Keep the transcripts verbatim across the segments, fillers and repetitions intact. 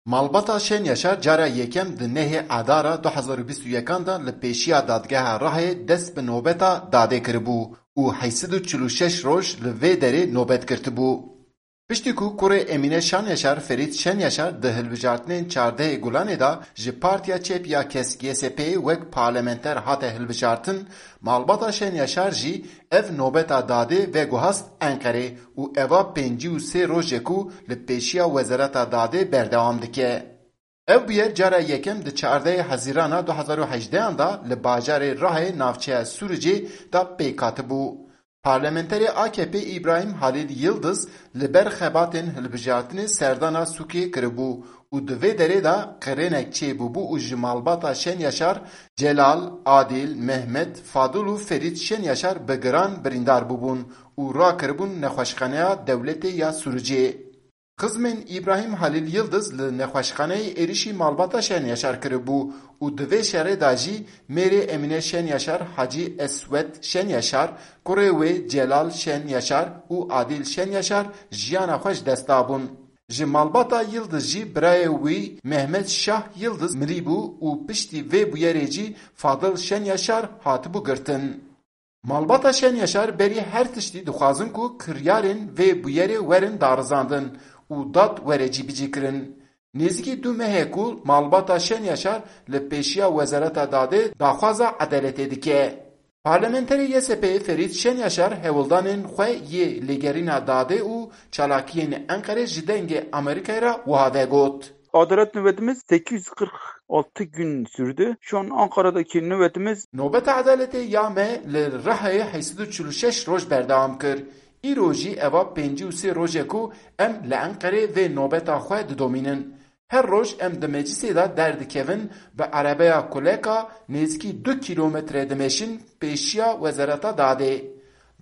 Malbata Şen Yaşar cara yekem di nehê Adara du hezar û bîst û yekan de li pêşiya Dadgeha Rihayê dest bi nobeta dadê kiribû û heyt sed û çil û şeş roj li vê derê nobet girtibû. Piştî ku kurê Emîne Şan Yaşar, Ferît Şen Yaşar, di hilbijartinên çardehê Gulanê de ji Partiya Çep ya Kesk Y S P'ê wek parlamenter hate hilbijartin, malbata Şen Yaşar jî ev nobeta dadê veguhast Enqerê û eva pêncî û sê rojê ku li pêşiya Wezareta Dadê berdewam dike. Ev bûyer cara yekem di çardehê Hezîrana du hezar û hejdehan de li bajarê Rihayê navçeya Sûricê de pêk hatibû. Parlamenterê A K P Îbrahîm Halîl Yildiz li ber xebatên hilbijartinê serdana sûkê kiribû û di vê derê de qirênek çêbûbû û ji malbata Şen Yaşar, Celal, Adîl, Mehmet, Fadil û Ferît Şen Yaşar bi giran birîndar bûbûn û rakiribûn nexweşxaneya dewletê ya Sûricê. Xizmên Îbrahîm Halîl Yildiz li nexweşxaneyê êrişî malbata Şen Yaşar kiribû û di vê şerê de jî mêrê Emîne Şen Yaşar, Hacî Eswed Şen Yaşar, kurê wê Celal Şen Yaşar û Adîl Şen Yaşar jiyana xwe ji dest dabûn. Ji malbata Yildiz jî birayê wî Mehmet Şah Yildiz mirîbû û piştî vê bûyerê jî Fadil Şen Yaşar hatibû girtin. Malbata Şen Yaşar berî her tiştî dixwazin ku kiryarên vê bûyerê werin darizandin û dad were cîbicîkirin. Nêzîkî du meh e ku malbata Şen Yaşar li pêşiya Wezareta Dadê daxwaza edaletê dike. Parlamenterê Y S P'ê Ferît Şen Yaşar hewldanên xwe yê lêgerîna dadê û çalakiyên Enqerê ji Dengê Amerîkayê re wiha vegot. Adalet nöbetimiz sekiz yüz kırk altı gün sürdü. Şu an Ankara'daki nöbetimiz Nobeta edaletê ya me li Rihayê heyt sed û çil û şeş roj berdewam kir. Îro jî eva pêncî û sê roj e ku em li Enqerê vê nobeta xwe didomînin. Her roj em di meclisê de derdikevin, bi erebeya kuleka nêzîkî du kîlometre dimeşin pêşiya Wezareta Dadê.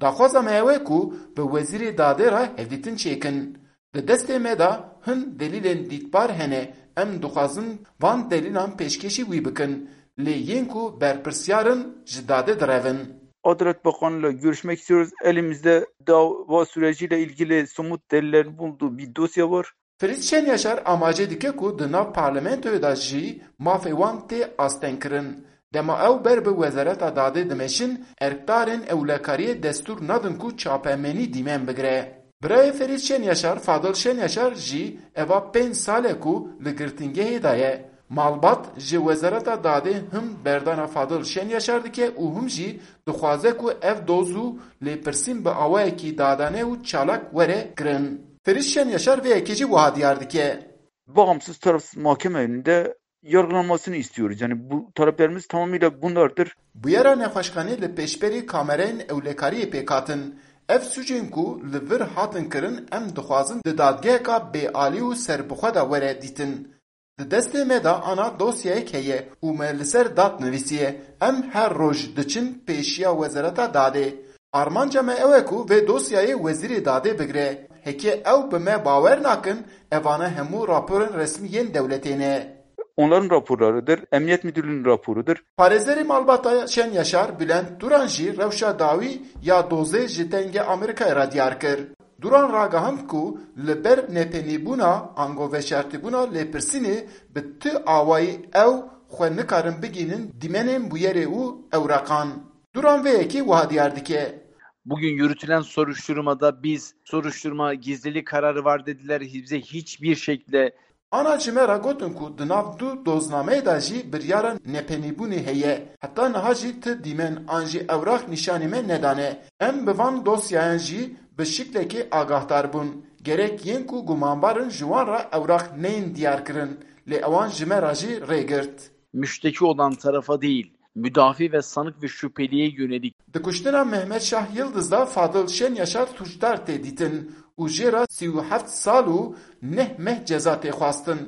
Daxwaza me ew e ku bi Wezîrê Dadê re hevdîtin çêkin. Di destê me de hin delîlên dîtbar hene, em dixwazin van delîlan pêşkêşî wî bikin, lê yên ku berpirsiyar in ji dadê direvin. Adalet Bakanı'yla görüşmek istiyoruz. Elimizde dava süreciyle ilgili somut deliller bulunduğu bir dosya var. Ferît Şen Yaşar amaje dike ku di nav parlamentoyê de jî mafê wan tê astengkirin. Dema ew ber bi Wezareta Dadê dimeşin, erkdarên ewlekariyê destûr nadin ku çapemenî dîmen bigire. Birayê Ferît Şen Yaşar, Fadil Şen Yaşar jî eva pênc sal e ku li girtingehê de ye. Malbat ji Wezareta Dadê him berdana Fadil Şen Yaşar dike û him jî dixwaze ku ev doz û lêpirsîn bi awayekî dadane û çalak were kirin. Ferît Şen Yaşar vê yekê jî wiha diyar dike. Bağımsız tarafsız mahkeme önünde yargılanmasını istiyoruz. Yani bu taleplerimiz tamamıyla bunlardır. Bûyera nexweşxanê li pêşberî kamerayên ewlekariyê pêk hatin. Ev sûcên ku li vir hatin kirin, em dixwazin di dadgeheka bêalî û serbixwe de were dîtin. Di destê me de ana dosyayek heye û me li ser dad nivîsiye. Em her roj diçin pêşiya Wezareta Dadê. Armanca me ew e ku vê dosyayê Wezîrê Dadê bigire. Heke ew bi me bawer nakin, evane hemû raporên resmî yên dewletê ne. Onların raporlarıdır, Emniyet Müdürlüğü'nün raporudur. Parêzerê malbata Şen Yaşar, Bülent Turan jî rewşa dawî ya dozê ji Dengê Amerîkayê re diyar kir. Duran ragihand ku li ber nepenîbûna ango veşartîbûna lêpirsînê bi tu awayî ew xwe nikarin bigihînin dîmenên bûyerê û ewraqan. Duran vê yekê wiha diyar dike. Bugün yürütülen soruşturmada biz soruşturma gizlilik kararı var dediler. Bize hiçbir şekilde Ana ji me re gotin ku di nav du doznameyê de jî biryara nepenîbûnê heye. Heta niha jî ti dîmen an jî ewraq nîşanî me nedane. Em bi van dosyayan jî bi şiklekê agahdar bûn. Gerek yên ku gumanbar in ji wan re ewraq neyên diyar kirin, lê ewan ji me re jî rê girt. Müşteki olan tarafa değil, müdafi ve sanık ve şüpheliye yönelik. Di kuştina Mehmet Şah Yildiz de Fadil Şen Yaşar sûcdar tê dîtin û jê re sî û heft sal û neh meh ceza tê xwestin.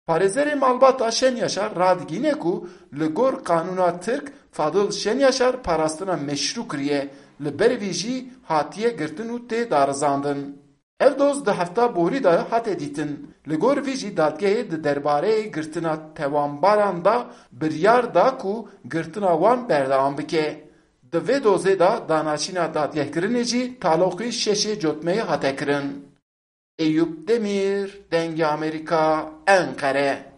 Parêzerê malbata Şen Yaşar radigihîne ku li gor qanûna Tirk Fadil Şen Yaşar parastina meşrû kiriye, li ber vî jî hatiye girtin û tê darizandin. Ev doz di hefta borî de hate dîtin. Li gor vî jî dadgehê di derbareyê girtina tewanbaran de biryar da ku girtina wan berdewam bike. Di vê dozê de danaşîna dadgehkirinê jî taloqî şeşê cotmeyê hate kirin. Eyüp Demir, Dengê Amerîka, Enqere.